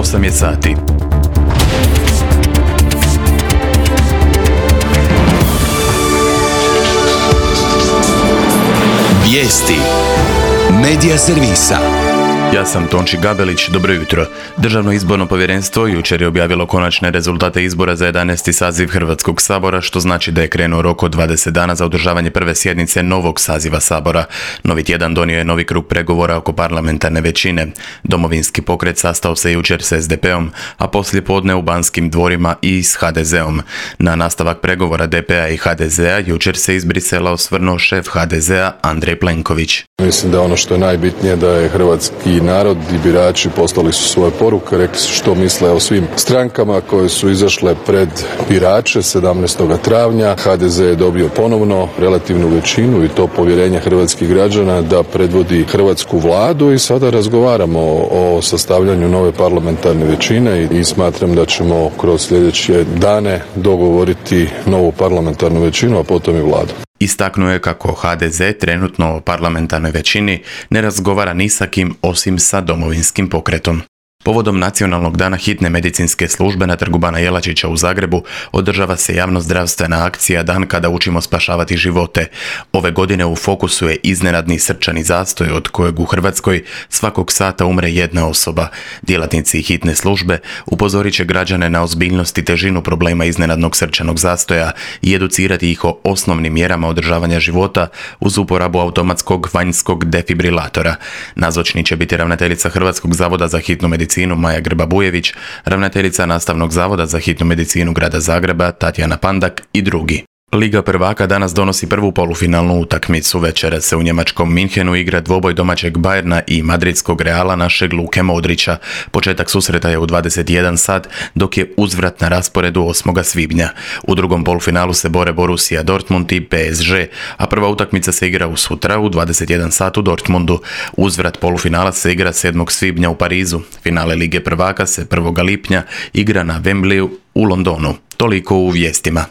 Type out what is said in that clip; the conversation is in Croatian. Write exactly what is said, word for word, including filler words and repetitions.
osam je sati. Vijesti Medija servisa. Ja sam Tonči Gabelić, dobro jutro. Državno izborno povjerenstvo jučer je objavilo konačne rezultate izbora za jedanaesti saziv Hrvatskog sabora, što znači da je krenuo rok od dvadeset dana za održavanje prve sjednice novog saziva sabora. Novi tjedan donio je novi krug pregovora oko parlamentarne većine. Domovinski pokret sastao se jučer s es de peom, a poslije podne u Banskim dvorima i s ha de zeom. Na nastavak pregovora de pe a i ha de zea jučer se iz Brisela osvrnuo šef ha de zea Andrej Plenković. Mislim da ono što je najbitnije da je hrvatski narod i birači poslali su svoje poruke, rekli su što misle o svim strankama koje su izašle pred birače sedamnaestog travnja. ha de ze je dobio ponovno relativnu većinu i to povjerenje hrvatskih građana da predvodi hrvatsku vladu i sada razgovaramo o sastavljanju nove parlamentarne većine i smatram da ćemo kroz sljedeće dane dogovoriti novu parlamentarnu većinu, a potom i vladu. Istaknuo je kako ha de ze trenutno o parlamentarnoj većini ne razgovara ni sa kim osim sa Domovinskim pokretom. Povodom Nacionalnog dana hitne medicinske službe na Trgu Bana Jelačića u Zagrebu održava se javnozdravstvena akcija Dan kada učimo spašavati živote. Ove godine u fokusu je iznenadni srčani zastoj od kojeg u Hrvatskoj svakog sata umre jedna osoba. Djelatnici hitne službe upozorit će građane na ozbiljnost i težinu problema iznenadnog srčanog zastoja i educirati ih o osnovnim mjerama održavanja života uz uporabu automatskog vanjskog defibrilatora. Nazočni će biti ravnateljica Hrvatskog zavoda za hitnu medicinu Maja Grba-Bujević, ravnateljica Nastavnog zavoda za hitnu medicinu Grada Zagreba Tatjana Pandak i drugi. Liga prvaka danas donosi prvu polufinalnu utakmicu. Večera se u njemačkom Minhenu igra dvoboj domaćeg Bayerna i madridskog Reala našeg Luke Modrića. Početak susreta je u dvadeset jedan sat, dok je uzvrat na rasporedu osmog svibnja. U drugom polufinalu se bore Borussia Dortmund i pe es ge, a prva utakmica se igra u sutra u dvadeset jedan sat u Dortmundu. Uzvrat polufinala se igra sedmog svibnja u Parizu. Finale Lige prvaka se prvog lipnja igra na Wembleyu u Londonu. Toliko u vijestima.